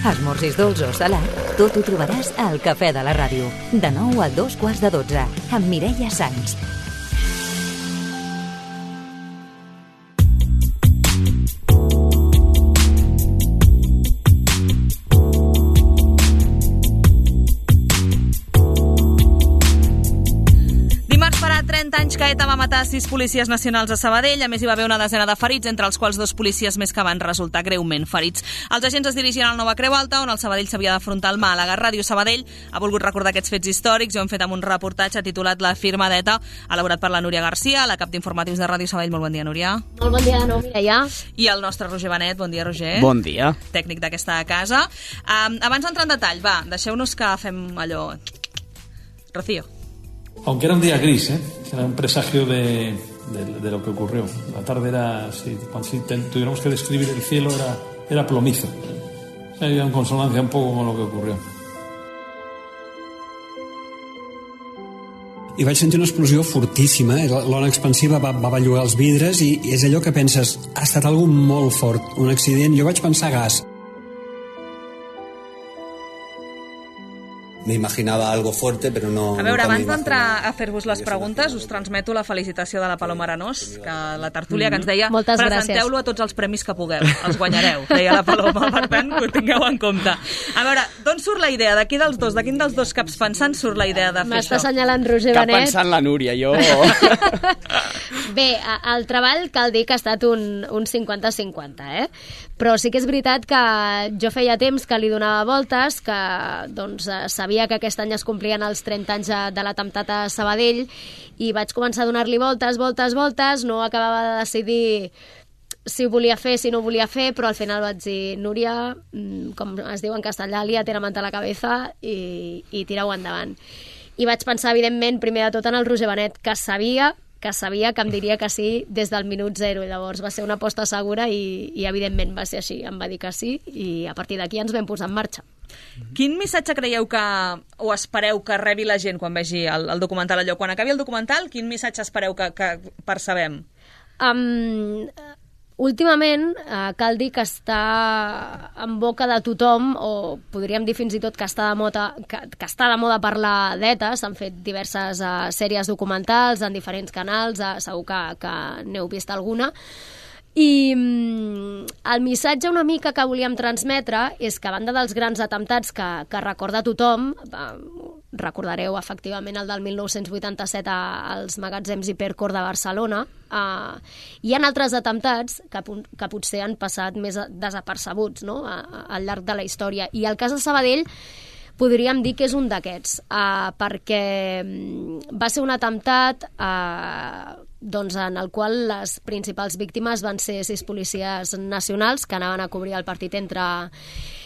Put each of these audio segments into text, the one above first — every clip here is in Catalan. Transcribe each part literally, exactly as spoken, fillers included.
Esmorzis dolç o salat, tot ho trobaràs al Cafè de la Ràdio. De nou a dos quarts de dotze, amb Mireia Sans. trenta anys que ETA va matar sis policies nacionals a Sabadell. A més, hi va haver una desena de ferits, entre els quals dos policies més que van resultar greument ferits. Els agents es dirigien al Nova Creu Alta, on el Sabadell s'havia d'afrontar al Màlaga. Ràdio Sabadell ha volgut recordar aquests fets històrics i ho hem fet amb un reportatge titulat La firma d'ETA, elaborat per la Núria Garcia, la cap d'informatius de Ràdio Sabadell. Molt bon dia, Núria. Molt bon dia de nou, Mireia. I el nostre Roger Benet. Bon dia, Roger. Bon dia. Tècnic d'aquesta casa. Um, abans d'entrar en detall, va, deixeu-nos que fem allò... Rocío. Aunque era un día gris, ¿eh? Era un presagio de, de, de lo que ocurrió. La tarde era, si, cuando si tuviéramos que describir el cielo, era, era plomizo. O sea, iba en consonancia un poco con lo que ocurrió. I vaig sentir una explosió fortíssima, l'ona expansiva va, va bellugar els vidres i és allò que penses, ha estat algo molt fort, un accident. Jo vaig pensar gas. Me imaginava algo fuerte, però no... A veure, abans d'entrar a fer-vos les preguntes, us transmeto la felicitació de la Paloma Arenós, que la tertúlia que ens deia presenteu-lo a tots els premis que pugueu, els guanyareu, deia la Paloma, per tant, que ho tingueu en compte. A veure, d'on surt la idea? De qui dels dos, de quin dels dos caps pensant surt la idea de fer M'està això? M'està assenyalant Roger Benet. Cap pensant la Núria, jo... Bé, el treball cal dir que ha estat un, un cinquanta cinquanta, eh? Però sí que és veritat que jo feia temps que li donava voltes, que doncs sabia que aquest any es complien els trenta anys de l'atemptat a Sabadell i vaig començar a donar-li voltes, voltes, voltes, no acabava de decidir si ho volia fer, si no ho volia fer, però al final vaig dir, Núria, com es diu en castellà, lía-te la manta a la cabeza i, i tira-ho endavant. I vaig pensar, evidentment, primer de tot en el Roger Benet, que sabia que sabia que em diria que sí des del minut zero. Llavors va ser una aposta segura i, i evidentment va ser així. Em va dir que sí i a partir d'aquí ens vam posar en marxa. Quin missatge creieu que, o espereu que rebi la gent quan vegi el, el documental allò? Quan acabi el documental, quin missatge espereu que, que percebem? Um, últimament, uh, cal dir que està en boca de tothom, o podríem dir fins i tot que està de moda, que, que està de moda parlar d'ETA. S'han fet diverses uh, sèries documentals en diferents canals, uh, segur que, que n'heu vist alguna. I mm, el missatge una mica que volíem transmetre és que a banda dels grans atemptats que, que recorda tothom, eh, recordareu efectivament el del mil nou-cents vuitanta-set als magatzems Hipercor de Barcelona, eh, hi ha altres atemptats que, que potser han passat més desapercebuts, no?, a, a, al llarg de la història. I el cas de Sabadell podríem dir que és un d'aquests, eh, perquè va ser un atemptat eh, doncs en el qual les principals víctimes van ser sis policies nacionals que anaven a cobrir el partit entre,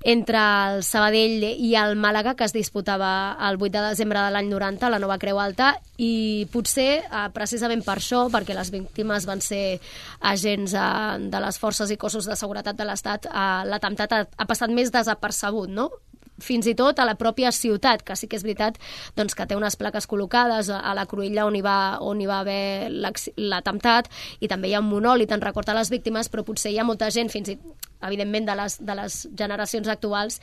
entre el Sabadell i el Màlaga, que es disputava el vuit de desembre de l'any noranta a la Nova Creu Alta, i potser eh, precisament per això, perquè les víctimes van ser agents eh, de les forces i cossos de seguretat de l'Estat, eh, l'atemptat ha, ha passat més desapercebut, no?, fins i tot a la pròpia ciutat, que sí que és veritat doncs, que té unes plaques col·locades a la cruïlla on hi va, on hi va haver l'atemptat, i també hi ha un monòlit en record a les víctimes, però potser hi ha molta gent, fins i tot evidentment de les, de les generacions actuals,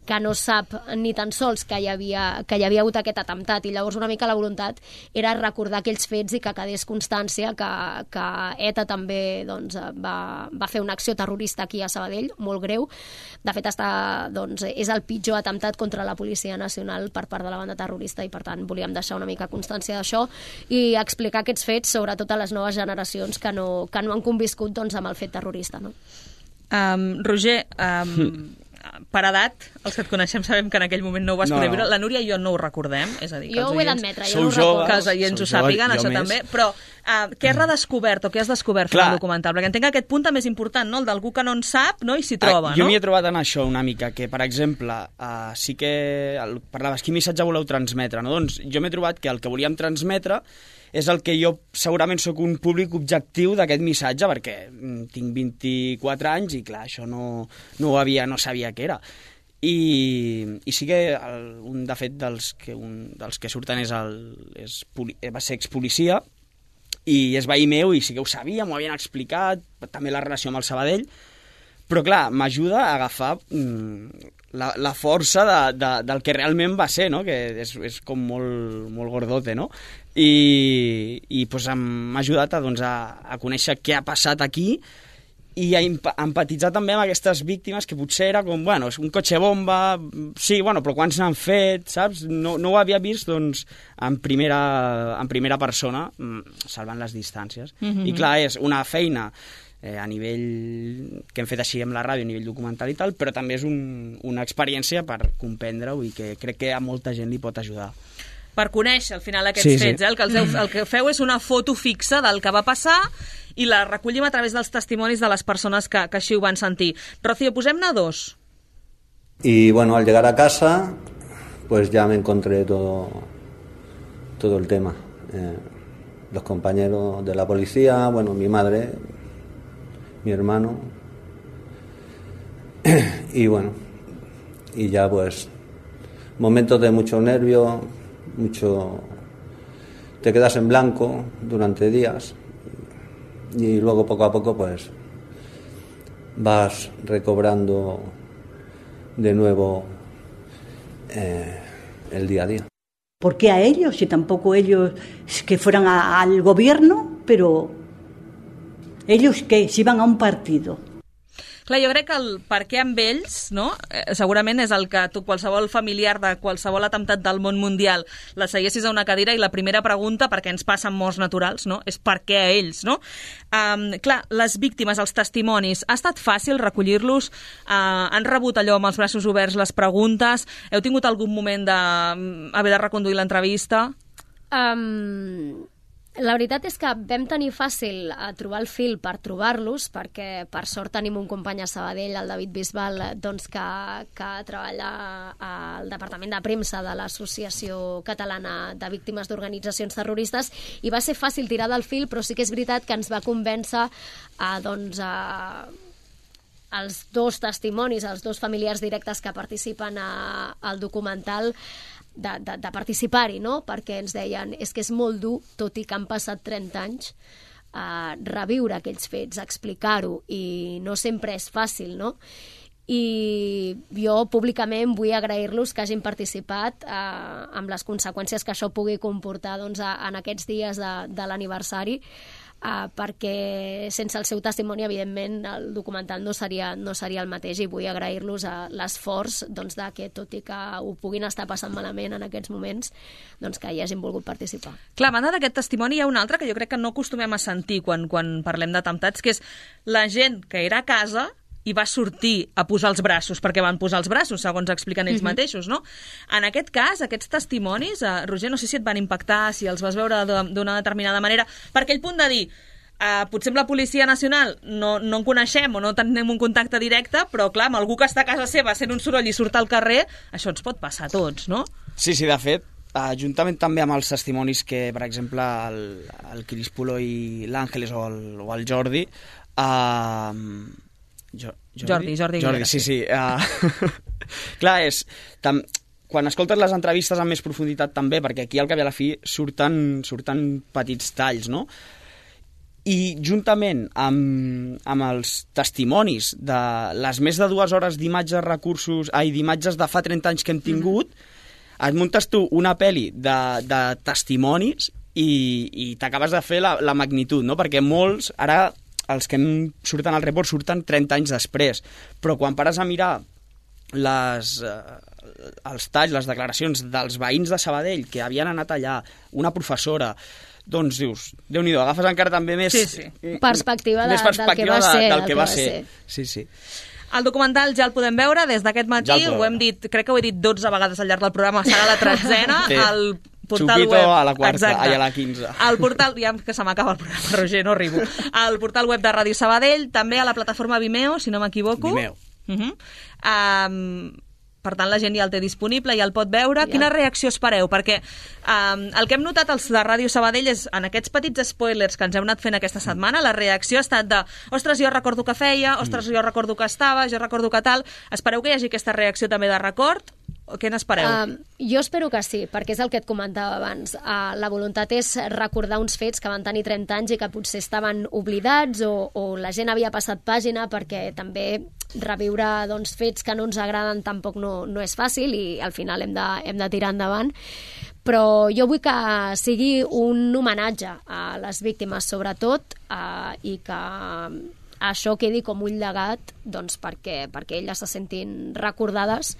que no sap ni tan sols que hi havia, que hi havia hagut aquest atemptat, i llavors una mica la voluntat era recordar aquells fets i que quedés constància que, que ETA també doncs, va, va fer una acció terrorista aquí a Sabadell, molt greu. De fet, està, doncs, és el pitjor atemptat contra la Policia Nacional per part de la banda terrorista, i per tant volíem deixar una mica constància d'això i explicar aquests fets, sobretot a les noves generacions que no, que no han conviscut doncs, amb el fet terrorista, no? Um, Roger, um, per edat, els que et coneixem sabem que en aquell moment no ho vas no, poder no. viure. La Núria i jo no ho recordem, és a dir, que jo els ho he oients, d'admetre, jo no ho recordo. que els oients ho sàpiguen, això més. també, però uh, què has redescobert o què has descobert fent el documental? Perquè entenc que aquest punt també és important, no?, el d'algú que no en sap, no?, i s'hi troba, ah, jo no? m'hi he trobat en això una mica, que per exemple, uh, sí que el, parlaves, quin missatge voleu transmetre, no? Doncs jo m'he trobat que el que volíem transmetre és el que jo segurament sóc un públic objectiu d'aquest missatge, perquè tinc vint-i-quatre anys i clar, això no, no ho havia, no sabia què era. I, i sí que el, un de fet dels que, un, dels que surten és el, és, va ser expolicia i és veí meu i sí que ho sabia, m'ho havien explicat, també la relació amb el Sabadell, Però clar, m'ajuda a agafar mm, la, la força de, de, del que realment va ser, no? Que és, és com molt, molt gordote, no? I, i pues, m'ha ajudat a, doncs, a, a conèixer què ha passat aquí i a empatitzar també amb aquestes víctimes que potser era com, bueno, és un cotxe bomba, sí, bueno, però quants n'han fet, saps? No, no ho havia vist, doncs, en primera, en primera persona, salvant les distàncies. Mm-hmm. I clar, és una feina eh, a nivell que hem fet així amb la ràdio, a nivell documental i tal, però també és un, una experiència per comprendre-ho i que crec que a molta gent li pot ajudar. Per conèixer al final aquests sí, fets. sí. Eh? El, que el, el que feu és una foto fixa del que va passar i la recollim a través dels testimonis de les persones que, que així ho van sentir. Rocío, posem-ne dos. Y bueno, al llegar a casa, pues ya me encontré todo, todo el tema. Eh, los compañeros de la policía, bueno, mi madre, mi hermano, y bueno, y ya pues momentos de mucho nervio, mucho, te quedas en blanco durante días y luego poco a poco pues vas recobrando de nuevo eh, el día a día. ¿Por qué a ellos? Si tampoco ellos que fueran a, al gobierno, pero ellos que si van a un partido. Clar, jo crec que el per què amb ells, no? eh, segurament és el que tu, qualsevol familiar de qualsevol atemptat del món mundial, la seiessis a una cadira i la primera pregunta, perquè ens passen morts naturals, no? És per què a ells, no? Um, clar, les víctimes, els testimonis, ha estat fàcil recollir-los? Uh, han rebut allò amb els braços oberts les preguntes? Heu tingut algun moment d'haver de reconduir l'entrevista? Um... La veritat és que vam tenir fàcil a trobar el fil per trobar-los, perquè per sort tenim un company a Sabadell, el David Bisbal, doncs que, que treballa al Departament de Premsa de l'Associació Catalana de Víctimes d'Organitzacions Terroristes, i va ser fàcil tirar del fil, però sí que és veritat que ens va convèncer a, doncs, a, els dos testimonis, els dos familiars directes que participen a, al documental, de, de, de participar-hi, no? Perquè ens deien, és que és molt dur, tot i que han passat trenta anys, eh, reviure aquells fets, explicar-ho, i no sempre és fàcil, no? I jo públicament vull agrair-los que hagin participat eh, amb les conseqüències que això pugui comportar doncs, a, en aquests dies de, de l'aniversari, Uh, perquè sense el seu testimoni evidentment el documental no seria, no seria el mateix, i vull agrair-los a l'esforç doncs, de que tot i que ho puguin estar passant malament en aquests moments, doncs que hi hagin volgut participar. Clar, a banda d'aquest testimoni hi ha un altre que jo crec que no acostumem a sentir quan, quan parlem d'atemptats, que és la gent que era a casa i va sortir a posar els braços, perquè van posar els braços, segons expliquen ells uh-huh. mateixos, no? En aquest cas, aquests testimonis, eh, Roger, no sé si et van impactar, si els vas veure d'una determinada manera, per aquell punt de dir, eh, potser amb la Policia Nacional no, no en coneixem o no tenim un contacte directe, però clar, amb algú que està a casa seva sent un soroll i surt al carrer, això ens pot passar a tots, no? Sí, sí, de fet, Uh, juntament també amb els testimonis que, per exemple, el, el Crispulo i l'Àngeles o, el, o el Jordi, uh, Jo, Jordi, Jordi, Jordi, sí, sí. Uh, clar, és... Tam, quan escoltes les entrevistes amb més profunditat també, perquè aquí al cap i a la fi surten, surten petits talls, no? I juntament amb, amb els testimonis de les més de dues hores d'imatges recursos, ai, d'imatges de fa trenta anys que hem tingut, mm. et muntes tu una pel·li de, de testimonis i, i t'acabes de fer la, la magnitud, no? Perquè molts, ara... els que surten al report surten trenta anys després, però quan pares a mirar les, eh, els talls, les declaracions dels veïns de Sabadell que havien anat allà, una professora, doncs dius, Déu-n'hi-do, agafes encara també més... Sí, sí. Perspectiva, de, més perspectiva del que va ser. De, del que va va ser. ser. Sí, sí. El documental ja el podem veure des d'aquest matí, ja ho hem dit, crec que ho he dit dotze vegades al llarg del programa, serà la tretzena, sí. el portal Chupito web... a la quarta, exacte. ai, a la quinze. El portal, ja que se m'acaba el programa, Roger, no arribo. El portal web de Ràdio Sabadell, també a la plataforma Vimeo, si no m'equivoco. Vimeo. Uh-huh. Um, per tant, la gent ja el té disponible, ja el pot veure. Ja. Quina reacció espereu? Perquè um, el que hem notat els de Ràdio Sabadell és, en aquests petits spoilers que ens hem anat fent aquesta setmana, la reacció ha estat de, ostres, jo recordo que feia, ostres, jo recordo que estava, jo recordo que tal. Espereu que hi hagi aquesta reacció també de record? què n'espereu? Uh, jo espero que sí, perquè és el que et comentava abans. Uh, la voluntat és recordar uns fets que van tenir trenta anys i que potser estaven oblidats o, o la gent havia passat pàgina, perquè també reviure doncs, fets que no ens agraden tampoc no, no és fàcil i al final hem de, hem de tirar endavant. Però jo vull que sigui un homenatge a les víctimes, sobretot, eh, i que això quedi com un llegat doncs, perquè, perquè elles se sentin recordades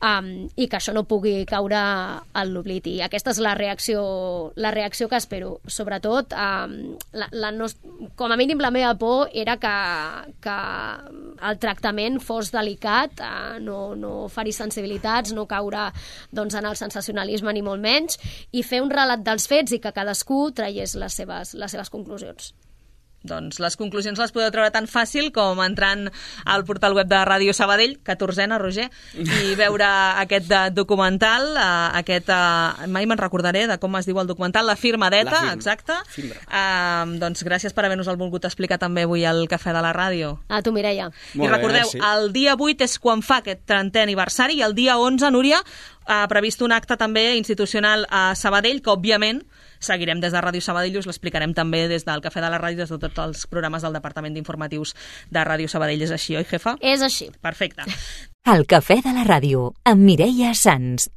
um, i que això no pugui caure en l'oblit. I aquesta és la reacció, la reacció que espero. Sobretot, um, la, la no, com a mínim la meva por era que, que el tractament fos delicat, uh, no, no ferir sensibilitats, no caure doncs, en el sensacionalisme ni molt menys, i fer un relat dels fets i que cadascú traiés les seves, les seves conclusions. Doncs les conclusions les podeu treure tan fàcil com entrant al portal web de Ràdio Sabadell, catorzena, Roger, i veure aquest documental, aquest, mai me'n recordaré de com es diu el documental, La firma d'Eta, la firma. Exacte. Uh, doncs gràcies per haver-nos el volgut explicar també avui al Cafè de la Ràdio. A tu, Mireia. I recordeu, bé, el dia vuit és quan fa aquest trentè aniversari i el dia onze, Núria, ha previst un acte també institucional a Sabadell, que òbviament seguirem des de Ràdio Sabadell, us l'explicarem també des del Cafè de la Ràdio, des de tots els programes del Departament d'Informatius de Ràdio Sabadell. És així, oi, jefa? És així. Perfecte. El Cafè de la Ràdio, amb Mireia Sans.